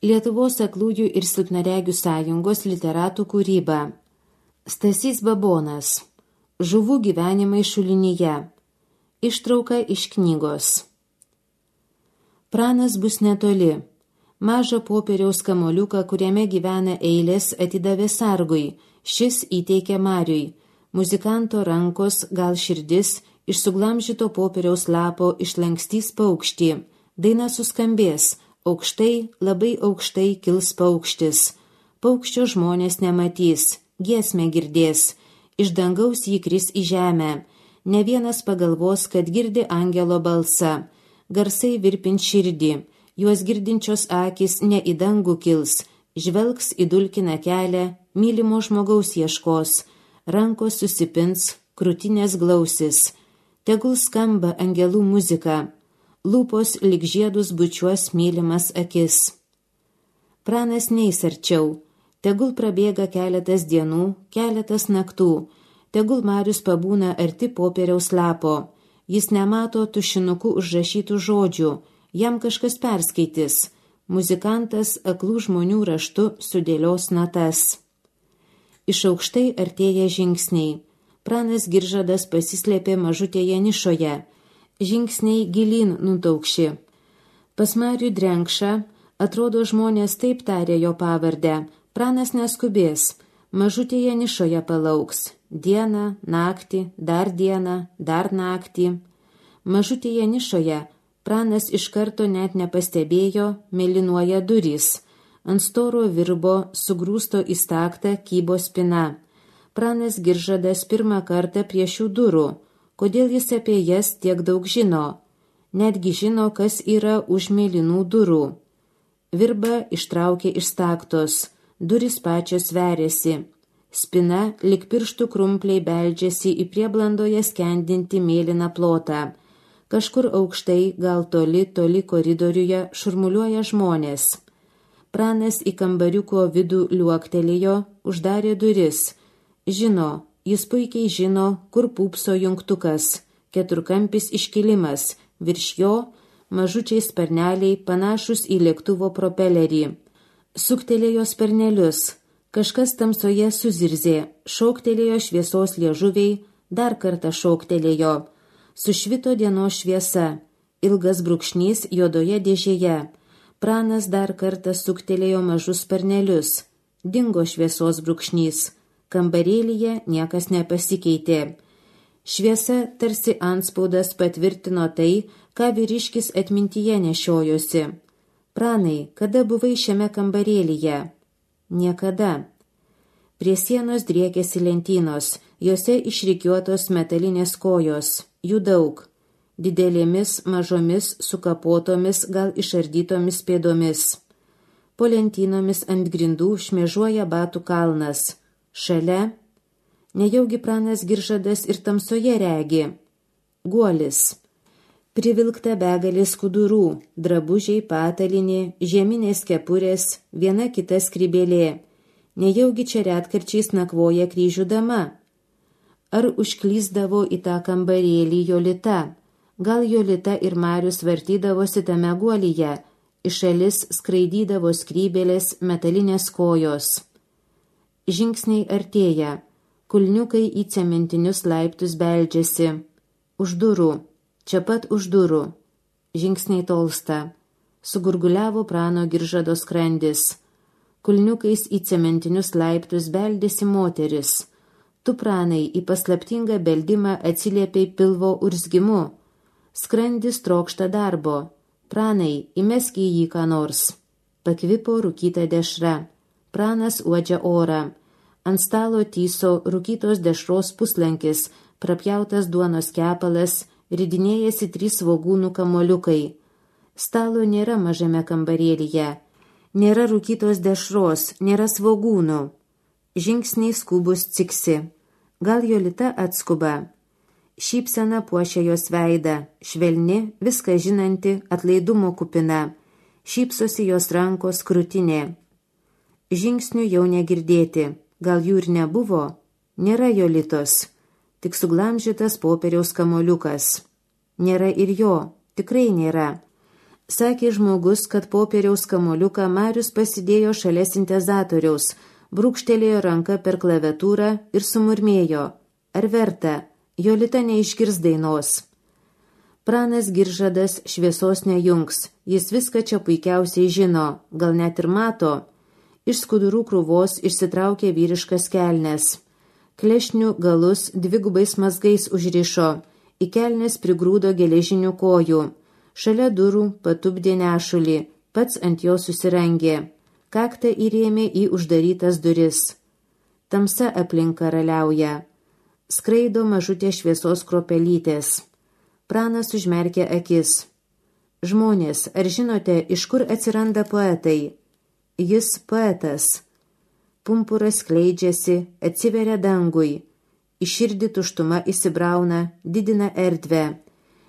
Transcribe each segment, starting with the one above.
Lietuvos aklųjų ir silpnaregių sąjungos literatų kūryba. Stasys Babonas. Žuvų gyvenimai šulinyje. Ištrauka iš knygos. Pranas bus netoli. Mažą popieriaus kamoliuką, kuriame gyvena eilės, atidavė sargui. Šis įteikė Mariui. Muzikanto rankos, gal širdis, iš suglamžyto popieriaus lapo išlankstys paukštį. Daina suskambės. Aukštai, labai aukštai kils paukštis. Paukščio žmonės nematys, giesmę girdės. Iš dangaus jį kris į žemę. Ne vienas pagalvos, kad girdi angelo balsą. Garsai virpint širdį. Juos girdinčios akis ne į dangų kils. Žvelgs į dulkiną kelią, mylimo žmogaus ieškos. Rankos susipins, krūtinės glausis. Tegul skamba angelų muzika. Lūpos lyg žiedus bučiuos mylimas akis. Pranas neis arčiau. Tegul prabėga keletas dienų, keletas naktų. Tegul Marius pabūna arti popieriaus lapo. Jis nemato tušinuku užrašytų žodžių. Jam kažkas perskaitys. Muzikantas aklų žmonių raštu sudėlios natas. Iš aukštai artėja žingsniai. Pranas Giržadas pasislėpė mažutėje nišoje. Žingsniai gilyn nutaukši. Pas Marių Drenkšą, atrodo, žmonės taip tarė jo pavardę. Pranas neskubės, mažutėje nišoje palauks. Dieną, naktį, dar dieną, dar naktį. Mažutėje nišoje Pranas iš karto net nepastebėjo, mėlynuoja durys. Ant storo virbo, sugrūsto į staktą, kybo spina. Pranas Giržadas pirmą kartą prie šių durų. Kodėl jis apie jas tiek daug žino? Netgi žino, kas yra už mėlynų durų. Virba ištraukė iš staktos. Durys pačios veriasi. Spina lik pirštų krumpliai beldžiasi į prieblandoje skendinti mėlyną plotą. Kažkur aukštai, gal toli koridoriuje šurmuliuoja žmonės. Pranas į kambariuko vidų liuoktelėjo, uždarė duris. Žino, jis puikiai žino, kur pūpso jungtukas, keturkampis iškilimas, virš jo mažučiai sparneliai panašus į lėktuvo propelerį. Suktelėjo sparnelius, kažkas tamsoje suzirzė, šoktelėjo šviesos liežuviai, dar kartą šoktelėjo. Sušvito dienos šviesa, ilgas brūkšnys juodoje dėžėje. Pranas dar kartą suktelėjo mažus sparnelius, dingo šviesos brūkšnys. Kambarėlyje niekas nepasikeitė. Šviesa tarsi antspaudas patvirtino tai, ką vyriškis atmintyje nešiojosi. Pranai, kada buvai šiame kambarėlyje? Niekada. Prie sienos driekėsi lentynos, jose išrikiuotos metalinės kojos, jų daug. Didelėmis, mažomis, sukapotomis, gal išardytomis pėdomis. Po lentynomis ant grindų šmėžuoja batų kalnas. Šalia, nejaugi Pranas Giržadas ir tamsoje regi. Guolis. Privilkta begalės skudurų, drabužiai, patalinė, žieminės kepurės, viena kita skrybėlė. Nejaugi čia retkarčiais nakvoja kryžių dama. Ar užklysdavo į tą kambarėlį Jolita? Gal Jolita ir Marius vartydavosi tame guolyje, iš šalis skraidydavo skrybėlės, metalinės kojos. Žingsniai artėja, kulniukai į cementinius laiptus beldžiasi. Už durų, čia pat už durų. Žingsniai tolsta. Sugurguliavo Prano Giržado skrandis. Kulniukais į cementinius laiptus beldėsi moteris. Tu, Pranai, į paslaptingą beldimą atsiliepiai pilvo urzgimu. Skrandis trokšta darbo. Pranai, įmesk į jį ką nors. Pakvipo rūkyta dešra. Pranas uodžia orą. Ant stalo tyso rūkytos dešros puslankis, prapjautas duonos kepalas, ridinėjasi 3 svogūnų kamoliukai. Stalo nėra mažame kambarėlyje. Nėra rūkytos dešros, nėra svogūnų. Žingsniai skubus ciksi. Gal Jolita atskuba. Šypsena puošia jos veidą, švelni, viską žinanti, atlaidumo kupina. Šypsosi jos rankos krūtinė. Žingsnių jau negirdėti, gal jų ir nebuvo, nėra Jolitos, tik suglamžytas popieriaus kamoliukas. Nėra ir jo, tikrai nėra. Sakė žmogus, kad popieriaus kamoliuką Marius pasidėjo šalia sintezatoriaus, brūkštelėjo ranką per klaviatūrą ir sumurmėjo. Ar verta? Jolita neišgirs dainos. Pranas Giržadas šviesos nejungs, jis viską čia puikiausiai žino, gal net ir mato. Iš skudurų krūvos išsitraukė vyriškas kelnes. Klešnių galus dvigubais mazgais užrišo, į kelnes prigrūdo geležinių kojų. Šalia durų patupdė nešulį, pats ant jo susirangė. Kaktą įrėmė į uždarytas duris. Tamsa aplink karaliauja. Skraido mažutė šviesos kropelytės. Pranas užmerkė akis. Žmonės, ar žinote, iš kur atsiranda poetai? Jis poetas. Pumpuras skleidžiasi, atsiveria dangui. Į širdį tuštuma įsibrauna, didina erdvę.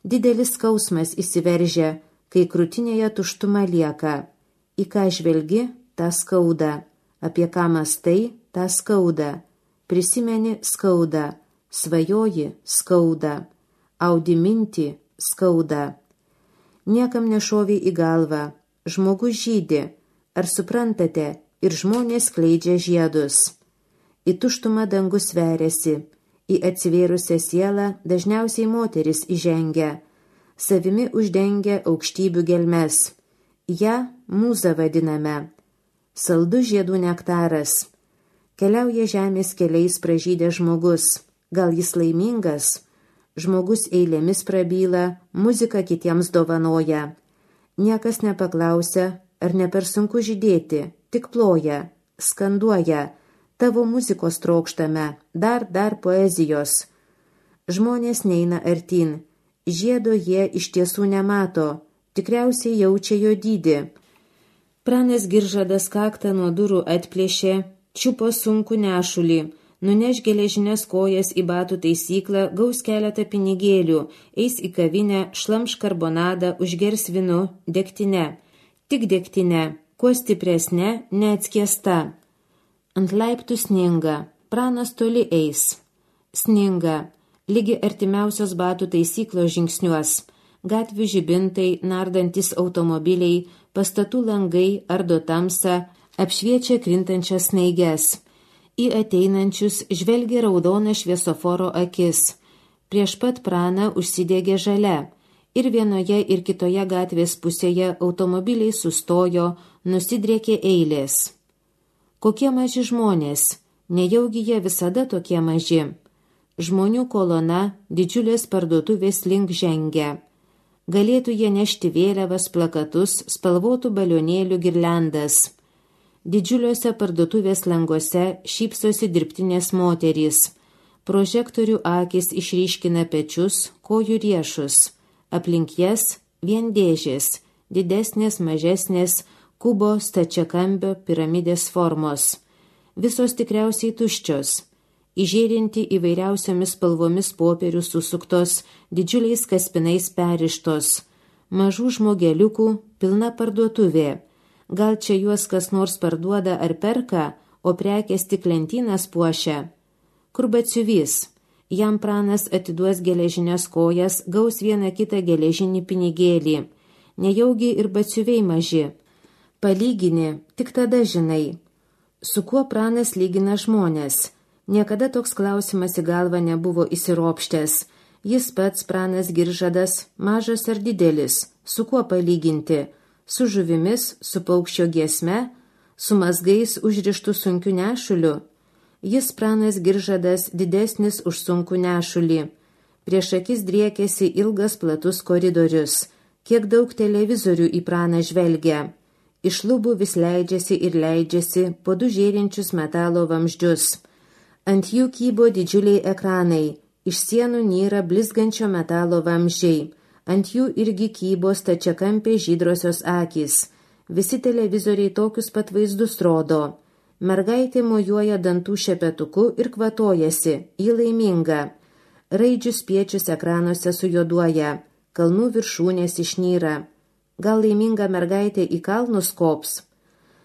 Didelis skausmas įsiveržia, kai krūtinėje tuštuma lieka. Į ką žvelgi, tą skauda. Apie ką mąstai, tą skauda. Prisimeni, skauda. Svajoji, skauda. Audi mintį, skauda. Niekam nešovė į galvą. Žmogus žydi. Ar suprantate, ir žmonės skleidžia žiedus. Į tuštumą dangus veriasi. Į atsivėrusią sielą dažniausiai moteris įžengia. Savimi uždengia aukštybių gelmes. Ja mūza vadiname. Saldus žiedų nektaras. Keliauja žemės keliais pražydė žmogus. Gal jis laimingas? Žmogus eilėmis prabyla, muziką kitiems dovanoja. Niekas nepaklausia, ar ne per sunku žydėti, tik ploja, skanduoja. Tavo muzikos trokštame, dar poezijos. Žmonės neina artin. Žiedo jie iš tiesų nemato, tikriausiai jaučia jo dydį. Pranas Giržadas kaktą nuo durų atplėšė, čiupo sunkų nešulį, nuneš geležinės kojas į batų taisyklą, gaus keletą pinigėlių, eis į kavinę, šlamš karbonadą, užgers vinu, degtine. Tik degtine, kuo stipresnė, neatskiesta. Ant laiptų sninga, Pranas toli eis. Sninga, lygi artimiausios batų taisyklos žingsniuos, gatvių žibintai, nardantis automobiliai, pastatų langai ardo tamsą, apšviečia krintančias snaiges. Į ateinančius žvelgia raudona šviesoforo akis. Prieš pat Praną užsidegė žalia. Ir vienoje ir kitoje gatvės pusėje automobiliai sustojo, nusidriekė eilės. Kokie maži žmonės, nejaugi jie visada tokie maži. Žmonių kolona didžiulės parduotuvės link žengia. Galėtų jie nešti vėliavas, plakatus, spalvotų balionėlių girliandas. Didžiuliuose parduotuvės languose šypsosi dirbtinės moterys. Prožektorių akys išryškina pečius, kojų riešus. Aplink jas vien dėžės, didesnės, mažesnės, kubo, stačiakampio, piramidės formos. Visos tikriausiai tuščios, įžėrinti įvairiausiomis spalvomis popierių susuktos, didžiuliais kaspinais perištos. Mažų žmogeliukų pilna parduotuvė. Gal čia juos kas nors parduoda ar perka, o prekės tik lentynas puošia. Kur batsiuvys? Jam Pranas atiduos geležinės kojas, gaus vieną kitą geležinį pinigėlį. Nejaugi ir batsiuviai maži. Palygini, tik tada žinai. Su kuo Pranas lygina žmonės? Niekada toks klausimas į galvą nebuvo įsiropštęs. Jis pats, Pranas Giržadas, mažas ar didelis, su kuo palyginti? Su žuvimis, su paukščio giesme, su mazgais užrištų sunkiu nešuliu? Jis, Pranas Giržadas, didesnis už sunkų nešulį. Prieš akis driekėsi ilgas platus koridorius. Kiek daug televizorių į Praną žvelgia. Iš lubų vis leidžiasi po du žėrinčius metalo vamzdžius. Ant jų kybo didžiuliai ekranai. Iš sienų nyra blizgančio metalo vamzdžiai. Ant jų irgi kybo stačiakampė žydrosios akys. Visi televizoriai tokius pat vaizdus rodo. Mergaitė mojuoja dantų šepetuku ir kvatojasi, ji laiminga. Raidžių spiečius ekranuose sujuoduoja, kalnų viršūnės išnyra. Gal laiminga mergaitė į kalnus kops?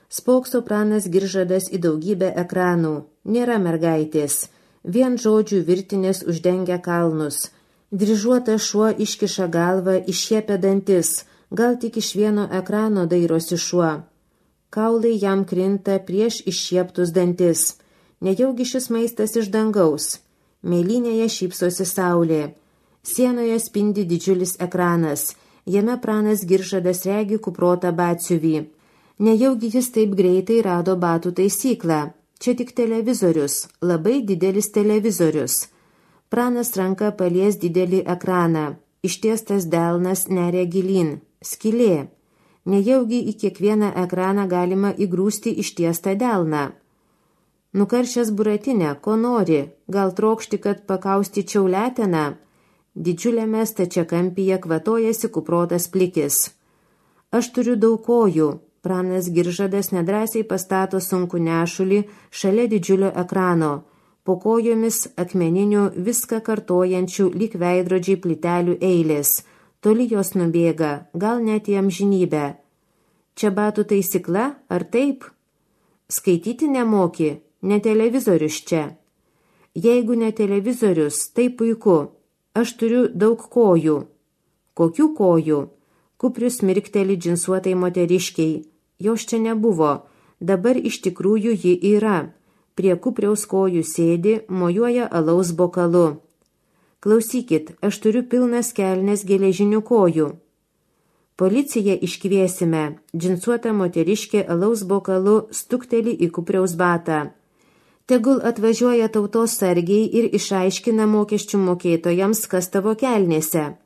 Spokso Pranas Giržadas į daugybę ekranų. Nėra mergaitės. Vien žodžių virtinės uždengia kalnus. Dryžuotas šuo iškiša galvą, iššiepia dantis. Gal tik iš vieno ekrano dairosi šuo. Kaulai jam krinta prieš iššieptus dantis. Nejaugi šis maistas iš dangaus. Mėlynėje šypsosi saulė. Sienoje spindi didžiulis ekranas. Jame pranas Giržadas regi kuprotą batsiuvį. Nejaugi jis taip greitai rado batų taisyklą. Čia tik televizorius, labai didelis televizorius. Pranas ranka palies didelį ekraną. Ištiestas delnas neria gilyn. Skylė. Nejaugi į kiekvieną ekraną galima įgrūsti ištiestą delną. Nukaršęs Buratinę, ko nori? Gal trokšti, kad pakaustyčiau leteną? Didžiuliame stačiakampyje kvatojasi kuprotas plikis. Aš turiu daug kojų. Pranas Giržadas nedrąsiai pastato sunkų nešulį šalia didžiulio ekrano, po kojomis akmeninių viską kartojančių lyg veidrodžiai plytelių eilės, toli jos nubėga, gal net į amžinybę. Čia batų taisykla, ar taip? Skaityti nemoki, ne televizorius čia. Jeigu ne televizorius, tai puiku, aš turiu daug kojų. Kokių kojų? Kuprius mirkteli džinsuotai moteriškiai. Jos čia nebuvo, dabar iš tikrųjų ji yra. Prie kupriaus kojų sėdi, mojuoja alaus bokalu. Klausykit, aš turiu pilnas kelnes geležinių kojų. Policiją iškviesime, džinsuota moteriškė alaus bokalu stukteli į kupriaus batą. Tegul atvažiuoja tautos sargiai ir išaiškina mokesčių mokėtojams, kas tavo kelnėse.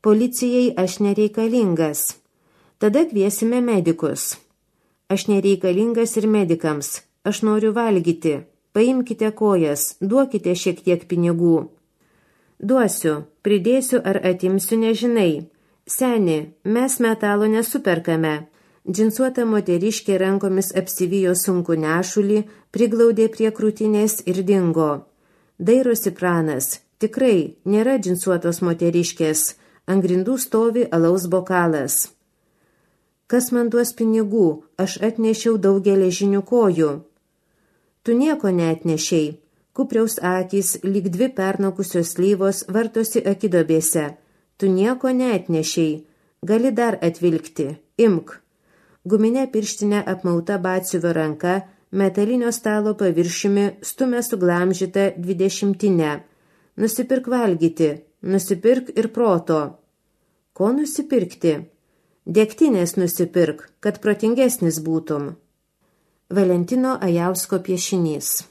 Policijai aš nereikalingas. Tada kviesime medikus. Aš nereikalingas ir medikams. Aš noriu valgyti. Paimkite kojas, duokite šiek tiek pinigų. Duosiu, pridėsiu ar atimsiu, nežinai. Seni, mes metalo nesuperkame. Džinsuota moteriškė rankomis apsivijo sunkų nešulį, priglaudė prie krūtinės ir dingo. Dairosi pranas. Tikrai, nėra džinsuotos moteriškės. Ant grindų stovi alaus bokalas. Kas man duos pinigų? Aš atnešiau daug geležinių kojų. Tu nieko neatnešiai. Kupriaus akys, lyg dvi pernokusios slyvos, vartosi akidobėse. Tu nieko neatnešiai. Gali dar atvilkti. Imk. Guminė pirštinė apmauta batsiuvio ranka, metalinio stalo paviršiumi stumia suglamžytą 20-tinę. Nusipirk valgyti. Nusipirk ir proto. Ko nusipirkti? Degtinės nusipirk, kad protingesnis būtum. Valentino Ajausko piešinys.